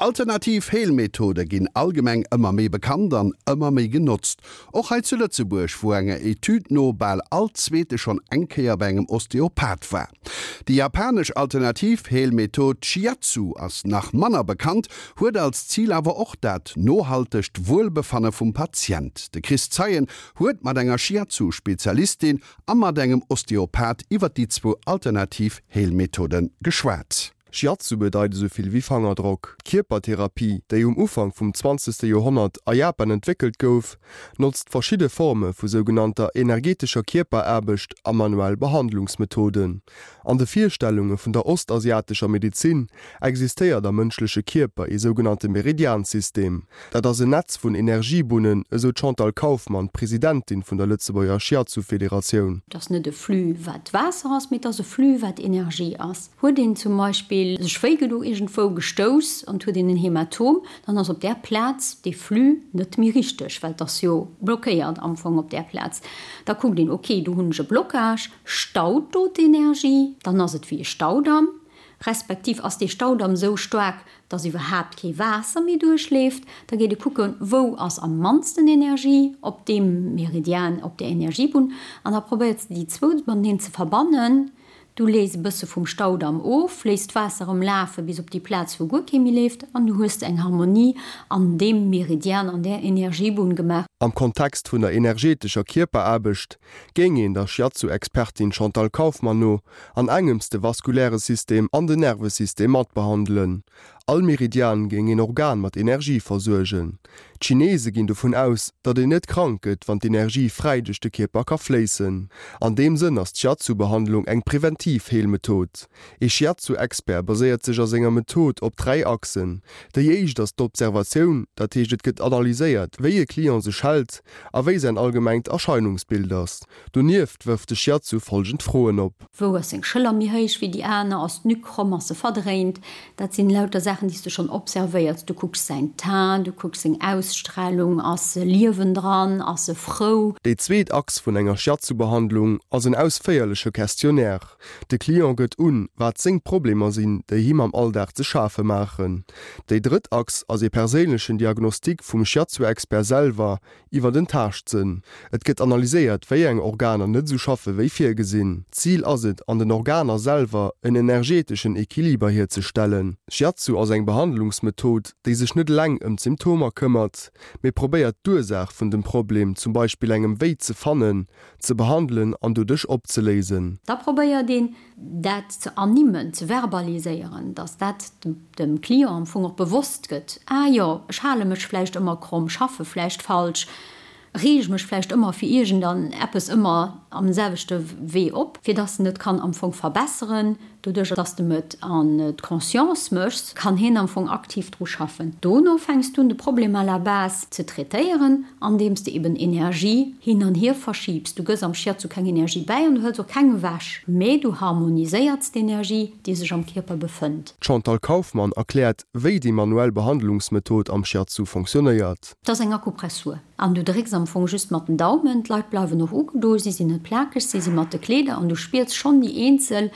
Alternativ Heelmethode ginn allgemeng ëmmer méi bekannt an ëmmer méi genotzt. Och hei zu Lëtzebuerg, wou enger Etüd no bal all Zweete schonn eng Kéier bei engem Osteopath war. Déi japanesch alternativ Heelmethod Shiatsu ass nach manner bekannt, huet als Zil awer och dat nohaltegt Wuelbefanne vum Patient. De Chris Zeien huet mat enger Shiatsu-Spezialistin a mat engem Osteopath iwwer déi zwou alternativ Heelmethode geschwat. Shiatsu bedeit esou vill wéi Fangerdrock. D'Kierpertherapie, déi um Ufank vum zwanzegste Joerhonnert a Japan entwéckelt gouf, notzt verschidde Forme vu sougenannter energetescher Kierperaarbecht a manuell Behandlungsmethoden. An de Virstellunge vun der ostasiatescher Medezin existéiert am mënschleche Kierper ee sougenannte Meridiansystem. Dat ass en Netz vun Energiebunnen, esou d'Chantal Kauffmann, Presidentin vun der Lëtzebuerger Shiatsu-Federatioun. Et ass net e Flux wat Waasser ass, mee et ass e Flux wat Energie ass. Huet een zum Beispill sech wéi gedo iergendwou gestouss an et huet een en Hämatom, dann ass op där Plaz dee Flux net méi richteg, well et ass jo blockéiert am Fong op där Plaz. Da kuckt een, ok, do hunn ech e Blocage, staut do d'Energie, dann ass et wéi e Staudamm, respektiv ass dee Staudamm esou staark, dass iwwerhaapt kee Waasser méi duerchleeft, da geet e kucken, wou ass am mannsten Energie op deem Meridian, op där Energiebunn, an da probéiert se déi zwou mateneen ze verbannen. Du lees e bësse vum Staudamm of, léiss d'Waasser erëm lafe bis op déi Plaz, wou guer kee méi leeft, an du hues eng Harmonie an deem Meridian, an där Energiebunn gemaach. Am Kontext vun der energetescher Kierperaarbecht géing een der Shiatsu-Expertin Chantal Kauffmann no an engems de vaskuläre System an den Nervesystem matbehandelen. All Meridian géing een Organ mat Energie versuergen. D'Chinese ginn dovun aus, datt een net krank gëtt, wann d'Energie fräi duerch de Kierper ka fléissen. An deem Sënn ass d'Shiatsu-Behandlung eng preventiv Heelmethod. Ee Shiatsu-Expert baséiert sech a senger Method op 3 Achsen. Déi éischt ass d'Observatioun, dat heescht et gëtt analyséiert, wéi e Client sech hält a wéi säin allgemengt Erscheinungsbild ass. Donieft wërft de Shiatsu folgend Froen op. Wou ass seng Schëller méi héich wéi déi aner? Ass d'Nuque kromm? Ass se verdréint? Dat sinn lauter Saachen, déi s de schonn observéiers. Du kucks säin Teint, du kucks seng Ausstralung, ass Liewen dran, ass e frou? Déi zweet Achs vun enger Shiatsu-Behandlung ass en ausféierleche Questionnaire. De Client gëtt un, wat seng Problemer sinn, déi him am Alldag ze schafe maachen. Déi drëtt Achs ass ee perséinlechen Diagnostic vum Shiatsu-Expert selwer Iwwer den Taaschtsënn. Et gëtt analyséiert, wéi eng Organer net esou schaffe wéi virgesinn. Zil ass et, an den Organer selwer en energeteschen Equiliber hierzestellen. Shiatsu ass eng Behandlungsmethod, déi sech net eleng ëm d'Symptomer këmmert, mee probéiert d'Ursaach vun dem Problem, zum Beispill engem Wéi, ze fannen, ze behandelen an doduerch opzeléisen. Da probéiert een, dat ze ernimmen, ze verbaliséieren, dass dat dem Client am Fong och bewosst gëtt, ah jo, ech hale mech vläicht ëmmer kromm, schaffe vläicht falsch, reege mech vläicht ëmmer fir iergend an eppes ëmmer am selwechte Wee op, fir dass en et kann am Fong verbesseren. Doduerch dass de em et an d'Conscience méchs, kann hien am Fong aktiv dru schaffen. Dono fänks du un de Problem à la base ze traitéieren, andeems de eben Energie hin an hier verschiibs. Du gëss am Shiatsu keng Energie bäi an du hëls och keng ewech, mee du harmoniséierts d'Energie, déi sech am Kierper befënnt. D'Chantal Kauffmann erkläert, wéi déi manuell Behandlungsmethod am Shiatsu fonctionnéiert. Et ass eng Akupressur an du drécks am Fong just mat den Daumen. D'Leit bleiwen och ugedo, si sinn net plakeg, si si mat de Kleeder an du spiers schonn déi eenzel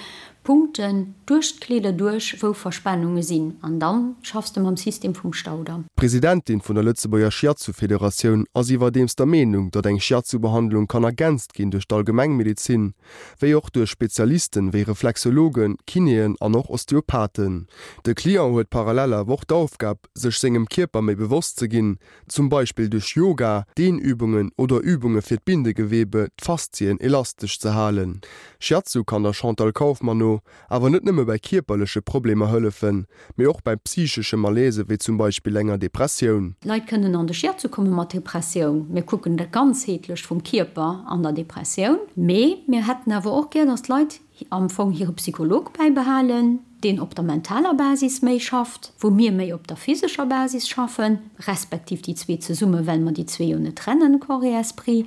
Punkten duerch d'Kleeder duerch, wou Verspannunge sinn an dann schaffs de mam System vum Staudamm. D'Presidentin vun der Lëtzebuerger Shiatsu-Federatioun ass iwwerdeems der Meenung, datt eng Shiatsu-Behandlung kann ergänzt ginn duerch d'Allgemengmedezin, wéi och duerch Spezialisten wéi Reflexologen, Kinéen an och Osteopathen. De Client huet parallel awer och d'Aufgab, sech sengem Kierper méi bewosst ze ginn, zum Beispill duerch Yoga, Dehnübungen oder Übunge fir d'Bindegewebe, d'Faszien, elastesch ze halen. Shiatsu kann der Chantal Kauffmann no awer net nëmme bei kierperleche Problemer hëllefen, mee och bei psychesche Malaise wéi zum Beispill enger Depressioun. Leit kënnen an de Shiatsu komme mat Depressioun. Mir kucken dat Ganzheetlecht vum Kierper an der Depressioun. Mee mir hätten awer och gär, dass d'Leit am Fong hire Psycholog bäibehalen, deen op der mentaler Basis méi schafft, wou mir méi op der physescher Basis schaffen, respektiv déi zwee zesummen, well mer déi zwee jo net trennen, Corps et Esprit,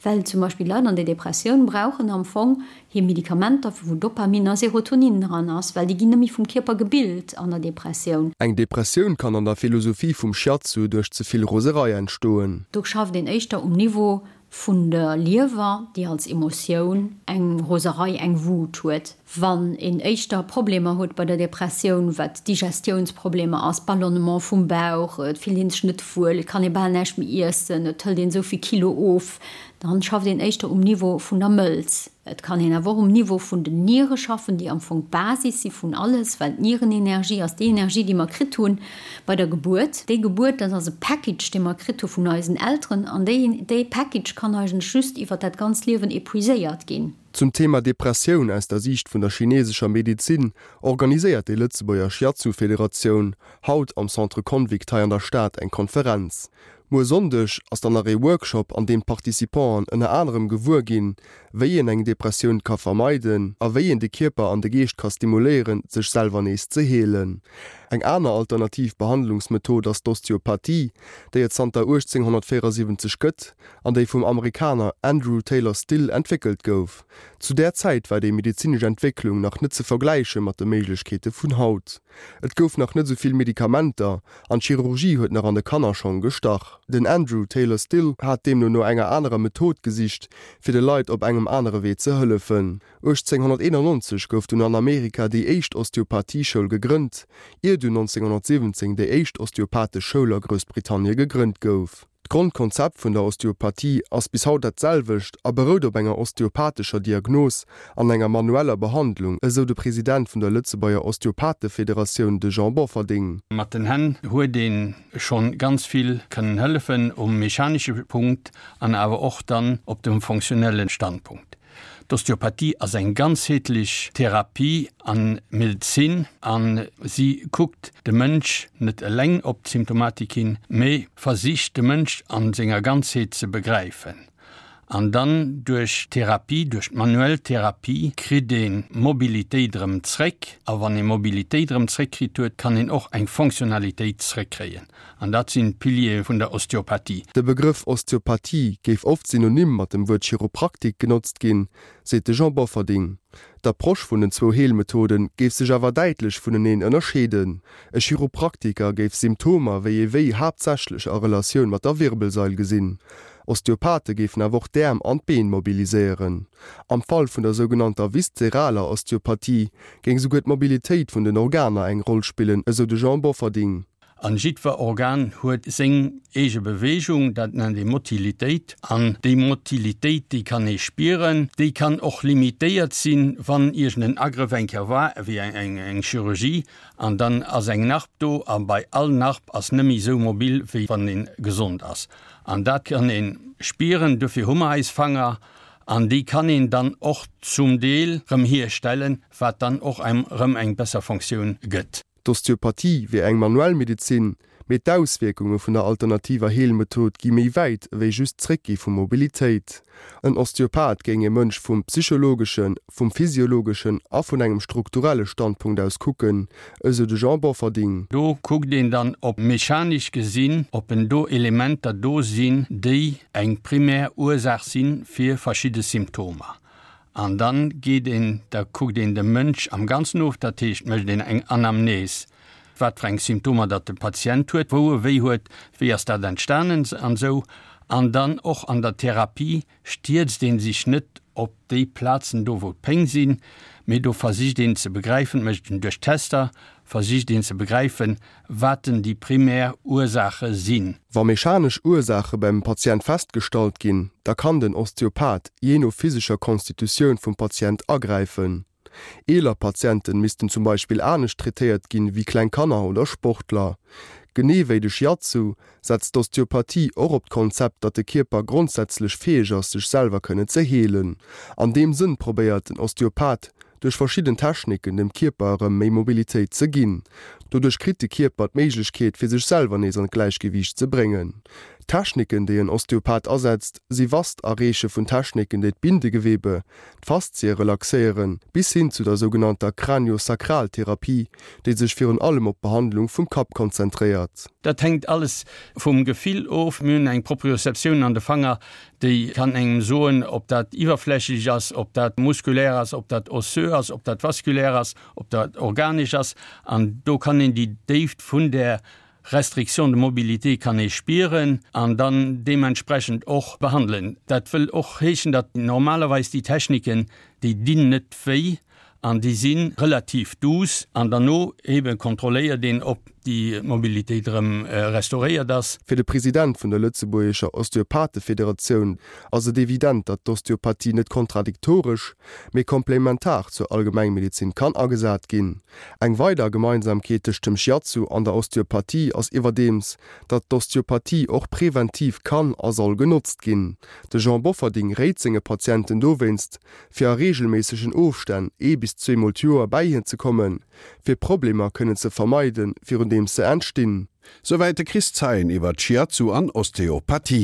well zum Beispill Leit an der Depressioun brauchen am Fong hir Medikamenter, wou Dopamin a Serotonin dran ass, well déi ginn net méi vum Kierper gebilt an der Depressioun. Eng Depressioun kann an der Philosophie vum Shiatsu duerch ze vill Roserei entstoen. Do schafft een éischter um Niveau. vun der Liewer, déi als Emotioun eng Roserei, eng Wut huet. Wann een éischter Problemer huet bei der Depressioun, wat Digestiounsproblemer ass, Ballonnement vum Bauch, et fillt een sech net wuel, et kann ee bal näischt méi iessen, et hëlt een esou vill Kilo of, dann schafft een éischter um Niveau vun der Mëlz. Et kann een awer och um Niveau vun den Niere schaffen, déi am Fong d'Basis si vun alles, well d'Nierenenergie ass déi Energie, déi mer kritt hu bei der Gebuert. Déi Gebuert, dat ass e Package, dee mer kritt hu vun eisen Elteren, an déi, dee Package kann eigentlech just iwwer dat ganzt Liewen epuiséiert ginn. Zum Thema Depressioun aus der Siicht vun der chinesescher Medezin organiséiert déi Lëtzebuerger Shiatsu-Federatioun haut am Centre Convict hei an der Stad eng Konferenz. Muer Sonndeg ass dann nach ee Workshop, an deem d'Participanten ënner anerem gewuer ginn, wéi een eng Depressioun ka vermeiden a wéi een de Kierper an de Geescht ka stimuléieren, sech selwer nees ze heelen. Eng aner alternativ Behandlungsmethod ass d'Osteopathie, déi et zanter 1874 gëtt an déi vum Amerikaner Andrew Taylor Still entwéckelt gouf. Zu där Zäit war déi medezinesch Entwécklung nach net ze vergläiche mat de Méiglechkeete vun haut. Et gouf nach net esou vill Medikamenter an d'Chirurgie huet nach an de Kannerschong gestach. Den Andrew Taylor Still hat deemno no enger anerer Method gesicht, fir de Leit op engem anere Wee ze hëllefen. 1891 gouf dunn an Amerika déi éischt Osteopathie-Schoul gegrënnt, ier dunn 1917 déi éischt osteopathesch Schoul a Groussbritannie gegrënnt gouf. D'Grondkonzept vun der Osteopathie ass bis haut dat selwecht a berout op enger osteopathescher Diagnos an enger manueller Behandlung, esou de President vun der Lëtzebuerger Osteopathefederatioun, de Jean Bofferding. Mat den Hänn huet ee schonn ganz vill kënnen hëllefen um mechanesche Punkt an awer och dann op dem fonctionnelle Standpunkt. D'Osteopathie ass eng ganzheetlech Therapie an Medezin a si kuckt de Mënsch net eleng op d'Symptomatik hin, mee versicht de Mënsch a senger Ganzheet ze begräifen. An dann duerch d'Therapie, duerch d'manuell Therapie kritt ee Mobilitéit erëm zréck. A wann ee Mobilitéit erëm zréckkritt huet, kann een och eng Fonctionnalitéit zréckkréien. An dat sinn d'Piliere vun der Osteopathie. De Begrëff Osteopathie géif oft synonym mat dem Wuert Chiropraktik genotzt ginn, seet de Jean Bofferding. D'Approche vun den zwou Heelmethode géif sech awer däitlech vuneneen ënnerscheeden. E Chiropraktiker géif Symptomer wéi ee Wéi haaptsächlech a Relatioun mat der Wirbelsail gesinn. Osteopathe géifen awer och d'Äerm an d'Been mobiliséieren. Am Fall vun der sougenannter viszeraler Osteopathie géing souguer d'Mobilitéit vun den Organer eng Roll spillen, esou de Jean Bofferding. An jiddwer Organ huet seng eege Bewegung, dat nennt ee Motilitéit. An déi Motilitéit, déi kann ee spieren, déi kann och limitéiert sinn, wann iergend en Agrëff eng Kéier war, wéi eng Chirurgie, an dann ass eng Narb do, a bei all Narb ass net méi esou mobil, wéi wann ee gesond ass. An dat kann ee spieren, dofir hu mer eis Fanger, an déi kann een dann och zum Deel rëm hierstellen, wat dann och engem rëm eng besser Fonctioun gëtt. D'Osteopathie wier eng manuell Medezin, mee d'Auswierkunge vun der alternativer Heelmethod gi méi wäit ewéi just d'Zréckgi vu Mobilitéit. En Osteopath géing e Mënsch vum psychologeschen, vum physiologeschen a vun engem strukturelle Standpunkt aus kucken, esou de Jean Bofferding. Do kuckt een dann, ob mechanesch gesinn, ob en do Elementer do sinn, déi eng primär Ursaach si fir verschidde Symptomer. An dann geet een, da kuckt een de Mënsch am Ganzen of, dat heescht mécht een eng Anamnese, wat fir eng Symptomer datt de Patient huet, wou e wéi huet, wéi ass dat entstanen an esou. An dann och an der Therapie stierzt ee sech net op déi Plazen do wou d'Péng sinn, mee do versicht een ze begräifen, mécht een duerch Tester, versicht een ze begräifen, wat denn déi primär Ursaache sinn. Wa mechanesch Ursaache beim Patient festgestallt ginn, da kann den Osteopath jee no physescher Konstitutioun vum Patient agräifen. Eeler Patienten missten zum Beispill anescht traitéiert ginn wéi kleng Kanner oder Sportler. Genee wéi de Shiatsu setzt d'Osteopathie och op d'Konzept, datt de Kierper grondsätzlech fäeg ass sech selwer kënnen ze heelen. An deem Sënn probéiert den Osteopath duerch verschidden Techniken dem Kierper erëm méi Mobilitéit ze ginn. Doduerch kritt de Kierper d'Méiglechkeet fir sech selwer nees an d'Gläichgewiicht ze bréngen. D'Techniken déi en Osteopath asetzt si vast a reeche vun Techniken déi d'Bindegewebe, d'Faszie relaxéieren, bis hin zu der sougenannter Craniosacral-Therapie, déi sech virun allem op d'Behandlung vum Kapp konzentréiert. Dat hänkt alles vum Gefill of. Mir hunn eng Proprioceptioun an de Fanger, Déi kann engem soen, ob dat iwwerflächlech ass, ob dat muskulär ass, ob dat osseux ass, ob dat vasculaire ass, ob dat organesch ass. An do kann een déi Déift vun där. Restriction de mobilité kann ee spieren an dann deementsprechend och behandelen. Dat wëll och heeschen, datt normalerweis déi Techniken, déi dinn net wéi an déi si relativ douce an derno eebe kontrolléiert een, ob déi Mobilitéit erëm restauréiert ass. Fir de President vun der lëtzebuergescher Osteopathefederatioun ass et evident, datt d'Osteopathie net kontradiktoresch, mee komplementar zur Allgemengmedezin kann agesat ginn. Eng weider Gemeinsamkeet tëscht dem Shiatsu an der Osteopathie ass iwwerdeems, datt d'Osteopathie och preventiv kann a soll genotzt ginn. De Jean Bofferding réit senge Patienten dowéinst, fir a reegelméissegen Ofstänn ee bis zweemol d'Joer bäi hien ze kommen, fir Problemer kënnen ze vermeiden, virun deems se entstinn. Souwäit de Chris Zeien iwwer Shiatsu an Osteopathie.